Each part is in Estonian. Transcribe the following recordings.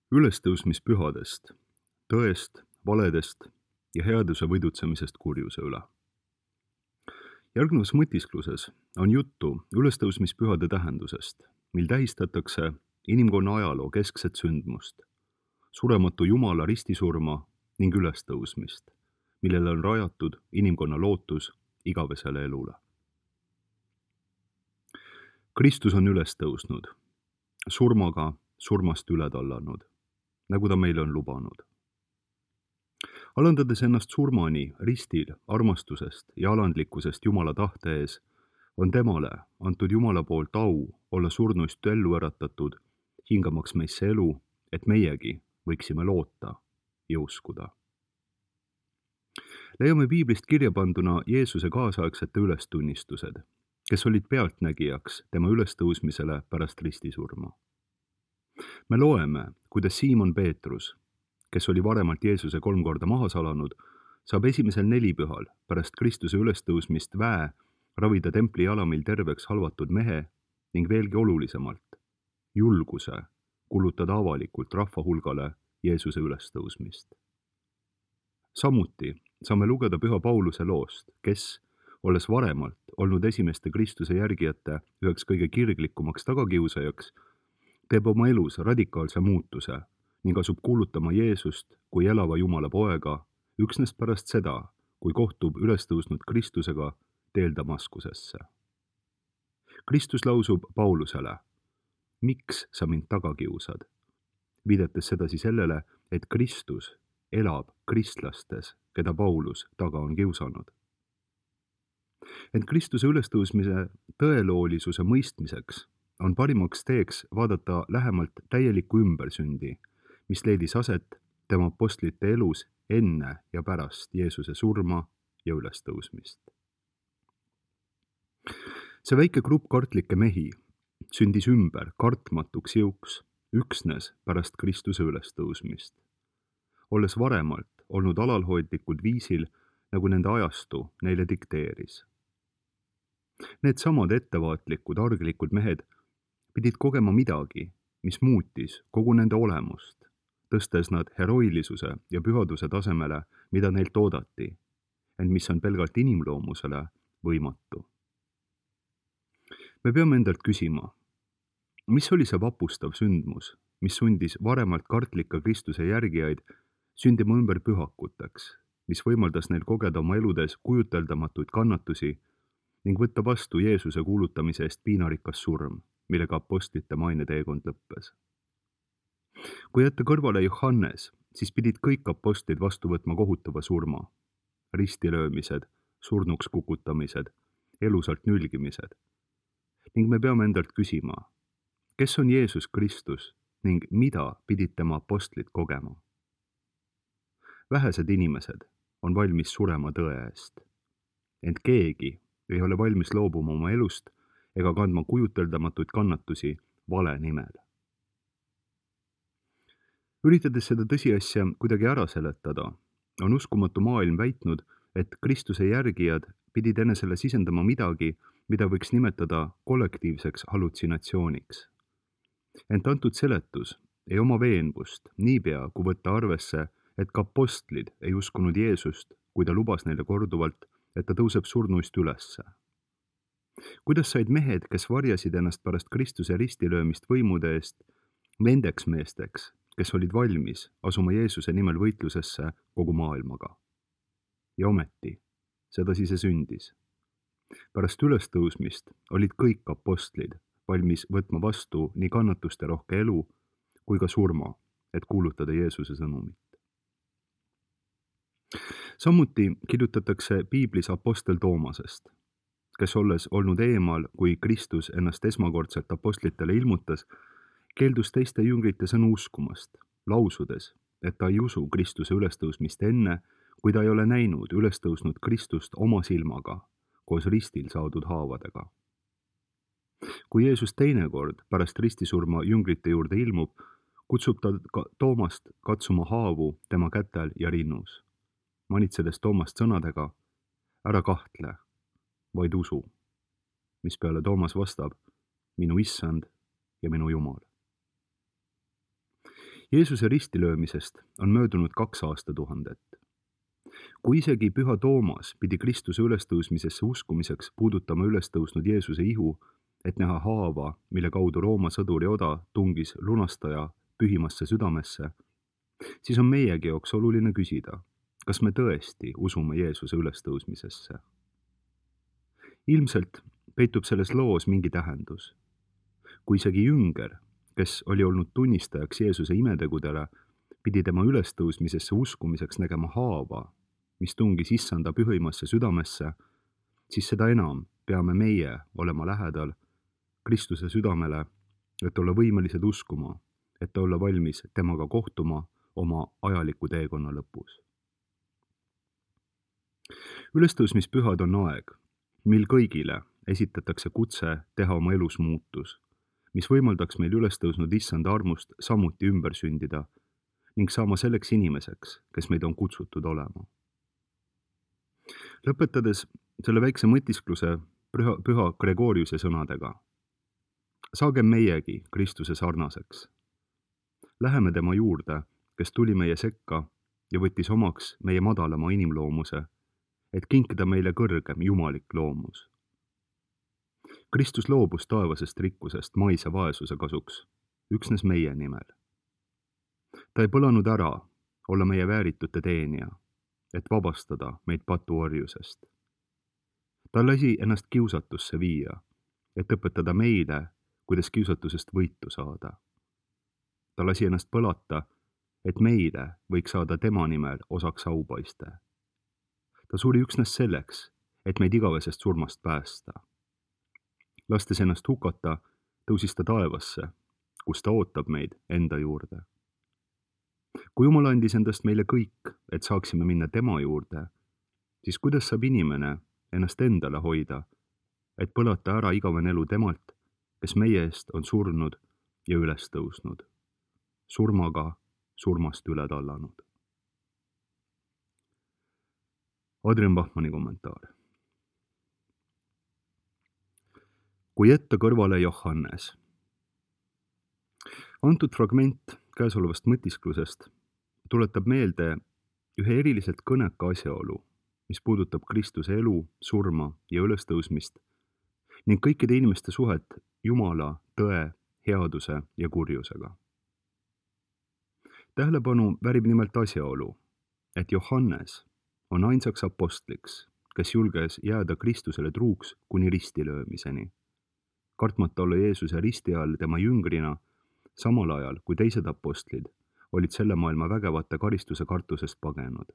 Ülestõusmispühadest, tõest, valedest ja headuse võidutsemisest kurjuse üle. Järgnevas mõtiskluses on juttu ülestõusmispühade tähendusest, mil tähistatakse inimkonna ajaloo keskset sündmust, surematu Jumala ristisurma ning ülestõusmist, millele on rajatud inimkonna lootus igavesele elule. Kristus on üles tõusnud, surmaga surmast üle tallanud, nagu ta meile on lubanud. Alandades ennast surmani ristil armastusest ja alandlikkusest Jumala tahte ees, on temale antud Jumala poolt au olla surnuist ellu äratatud, hingamaks meisse elu, et meiegi võiksime loota ja uskuda. Leiame piiblist kirja panduna Jeesuse kaasaegsete ülestunnistused, kes olid pealtnägijaks tema ülestõusmisele pärast ristisurma. Me loeme, kuidas Siimon Peetrus, kes oli varemalt Jeesuse 3 korda maha salanud, saab esimesel nelipühal pärast Kristuse ülestõusmist väe ravida templi jalamil terveks halvatud mehe ning veelgi olulisemalt, julguse kulutada avalikult rahva hulgale Jeesuse ülestõusmist. Samuti saame lugeda püha Pauluse loost, kes, olles varemalt olnud esimeste Kristuse järgijate üheks kõige kirglikumaks tagakiusajaks, teeb oma elus radikaalse muutuse ning asub kuulutama Jeesust kui elava Jumala poega üksnes pärast seda, kui kohtub ülestõusnud Kristusega teel Damaskusesse. Kristus lausub Paulusele, miks sa mind taga kiusad, viidates sedasi sellele, et Kristus elab kristlastes, keda Paulus taga on kiusanud. Ent Kristuse ülestõusmise tõeloolisuse mõistmiseks on parimaks teeks vaadata lähemalt täielikku ümbersündi, mis leidis aset tema apostlite elus enne ja pärast Jeesuse surma ja ülestõusmist. See väike grupp kartlikke mehi sündis ümber kartmatuks jõuks üksnes pärast Kristuse ülestõusmist, olles varemalt olnud alalhoidlikul viisil, nagu nende ajastu neile dikteeris. Need samad ettevaatlikud, arglikud mehed pidid kogema midagi, mis muutis kogu nende olemust, tõstes nad heroilisuse ja pühaduse tasemele, mida neilt oodati, ent mis on pelgalt inimloomusele võimatu. Me peame endalt küsima, mis oli see vapustav sündmus, mis sundis varemalt kartlika Kristuse järgijaid sündima ümber pühakuteks, mis võimaldas neil kogeda oma eludes kujuteldamatuid kannatusi ning võtta vastu Jeesuse kuulutamise eest piinarikas surm, millega apostlite maineteekond lõppes. Kui jätta kõrvale Johannes, siis pidid kõik apostlid vastu võtma kohutava surma, ristilöömised, surnuks kukutamised, elusalt nülgimised. Ning me peame endalt küsima, kes on Jeesus Kristus ning mida pidid tema apostlid kogema? Vähesed inimesed on valmis surema tõe eest, ent keegi ei ole valmis loobuma oma elust ega kandma kujuteldamatuid kannatusi vale nimel. Üritades seda tõsiasja kuidagi ära seletada, on uskumatu maailm väitnud, et Kristuse järgijad pidid enesele sisendama midagi, mida võiks nimetada kollektiivseks hallutsinatsiooniks. Ent antud seletus ei oma veenvust niipea, kui võtta arvesse, et ka apostlid ei uskunud Jeesust, kui ta lubas neile korduvalt, et ta tõuseb surnuist ülesse. Kuidas said mehed, kes varjasid ennast pärast Kristuse ristilöömist võimude eest, nendeks meesteks, kes olid valmis asuma Jeesuse nimel võitlusesse kogu maailmaga? Ja ometi, sedasi see sündis. Pärast ülestõusmist olid kõik apostlid valmis võtma vastu nii kannatuste rohke elu kui ka surma, et kuulutada Jeesuse sõnumit. Samuti kirjutatakse piiblis apostel Toomasest, kes olles olnud eemal, kui Kristus ennast esmakordselt apostlitele ilmutas, keeldus teiste jüngrite sõnu uskumast, lausudes, et ta ei usu Kristuse ülestõusmist enne, kui ta ei ole näinud ülestõusnud Kristust oma silmaga, koos ristil saadud haavadega. Kui Jeesus teinekord pärast ristisurma jüngrite juurde ilmub, kutsub ta Toomast katsuma haavu tema kätel ja rinnus, manitsedes Toomast sõnadega, ära kahtle, vaid usu, mispeale Toomas vastab, minu issand ja minu Jumal. Jeesuse ristilöömisest on möödunud 2 aastatuhandet. Kui isegi püha Toomas pidi Kristuse ülestõusmisesse uskumiseks puudutama ülestõusnud Jeesuse ihu, et näha haava, mille kaudu Rooma sõduri oda tungis lunastaja pühimasse südamesse, siis on meiegi jaoks oluline küsida, kas me tõesti usume Jeesuse ülestõusmisesse. Ilmselt peitub selles loos mingi tähendus. Kui isegi jünger, kes oli olnud tunnistajaks Jeesuse imetegudele, pidi tema ülestõusmisesse uskumiseks nägema haava, mis tungis issanda pühimasse südamesse, siis seda enam peame meie olema lähedal Kristuse südamele, et olla võimelised uskuma, et olla valmis temaga kohtuma oma ajaliku teekonna lõpus. Ülestõusmispühad on aeg, mil kõigile esitatakse kutse teha oma elus muutus, mis võimaldaks meil ülestõusnud issanda armust samuti ümber sündida ning saama selleks inimeseks, kes meid on kutsutud olema. Lõpetades selle väikse mõtiskluse püha Gregoriuse sõnadega. Saagem meiegi Kristuse sarnaseks. Läheme tema juurde, kes tuli meie sekka ja võttis omaks meie madalama inimloomuse, et kinkida meile kõrgem jumalik loomus. Kristus loobus taevasest rikkusest maise vaesuse kasuks, üksnes meie nimel. Ta ei põlanud ära olla meie vääritute teenija, et vabastada meid patuorjusest. Ta lasi ennast kiusatusse viia, et õpetada meile, kuidas kiusatusest võitu saada. Ta lasi ennast põlata, et meile võiks saada tema nimel osaks aupaiste. Ta suri üksnes selleks, et meid igavesest surmast päästa. Lastes ennast hukata, tõusis ta taevasse, kus ta ootab meid enda juurde. Kui Jumal andis endast meile kõik, et saaksime minna tema juurde, siis kuidas saab inimene ennast endale hoida, et põlata ära igavene elu temalt, kes meie eest on surnud ja üles tõusnud, surmaga surmast üle tallanud. Adrian Bachmanni kommentaar. Kui jätta kõrvale Johannes. Antud fragment käesolevast mõtisklusest tuletab meelde ühe eriliselt kõneka asjaolu, mis puudutab Kristuse elu, surma ja ülestõusmist ning kõikide inimeste suhet Jumala, tõe, headuse ja kurjusega. Tähelepanu väärib nimelt asjaolu, et Johannes on ainsaks apostliks, kes julges jääda Kristusele truuks kuni ristilöömiseni, kartmata olla Jeesuse risti all tema jüngrina, samal ajal kui teised apostlid olid selle maailma vägevate karistuse kartusest pagenud,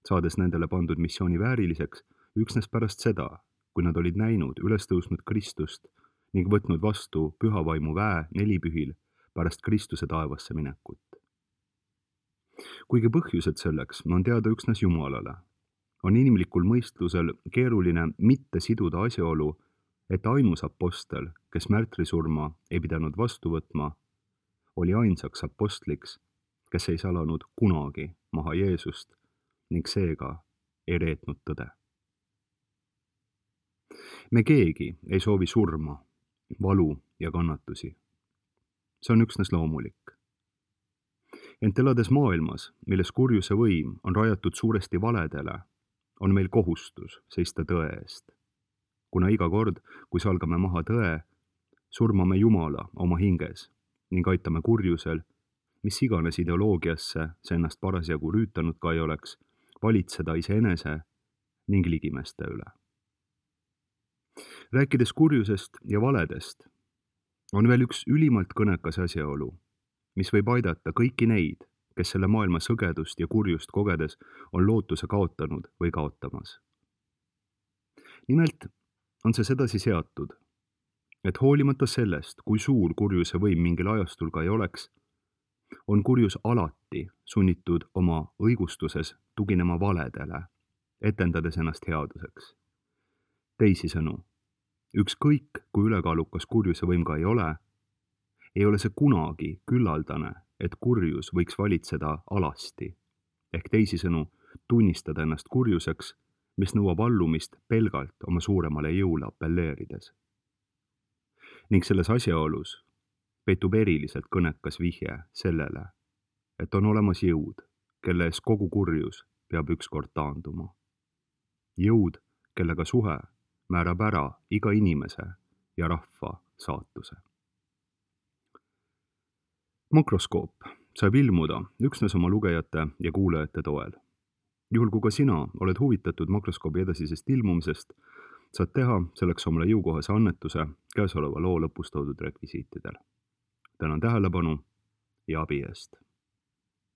saades nendele pandud missiooni vääriliseks üksnes pärast seda, kui nad olid näinud ülestõusnud Kristust ning võtnud vastu püha vaimu väe nelipühil pärast Kristuse taevasse minekut. Kuigi põhjused selleks on teada üksnes Jumalale, on inimlikul mõistlusel keeruline mitte siduda asjaolu, et ainus apostel, kes märtrisurma ei pidanud vastu võtma, oli ainsaks apostliks, kes ei salanud kunagi maha Jeesust ning seega ei reetnud tõde. Me keegi ei soovi surma, valu ja kannatusi. See on üksnes loomulik. Ent elades maailmas, milles kurjuse võim on rajatud suuresti valedele, on meil kohustus seista tõe eest. Kuna iga kord, kui salgame maha tõe, surmame Jumala oma hinges ning aitame kurjusel, mis iganes ideoloogiasse see ennast parasjagu rüütanud ka ei oleks, valitseda iseenese ning ligimeste üle. Rääkides kurjusest ja valedest, on veel üks ülimalt kõnekas asjaolu, mis võib aidata kõiki neid, kes selle maailma sõgedust ja kurjust kogedes on lootuse kaotanud või kaotamas. Nimelt on see sedasi seatud, et hoolimata sellest, kui suur kurjuse võim mingil ajastul ka ei oleks, on kurjus alati sunnitud oma õigustuses tuginema valedele, etendades ennast headuseks. Teisisõnu, ükskõik kui ülekaalukas kurjuse võim ka ei ole see kunagi küllaldane, et kurjus võiks valitseda alasti, ehk teisisõnu tunnistada ennast kurjuseks, mis nõuab allumist pelgalt oma suuremale jõule appelleerides. Ning selles asjaolus peitub eriliselt kõnekas vihje sellele, et on olemas jõud, kelle ees kogu kurjus peab ükskord taanduma. Jõud, kellega suhe määrab ära iga inimese ja rahva saatuse. Makroskoop saab ilmuda üksnes oma lugejate ja kuulajate toel. Juhul kui ka sina oled huvitatud Makroskoobi edasisest ilmumisest, saad teha selleks omale jõukohase annetuse käesoleva loo lõpus toodud rekvisiitidel. Tänan tähelepanu ja abi eest!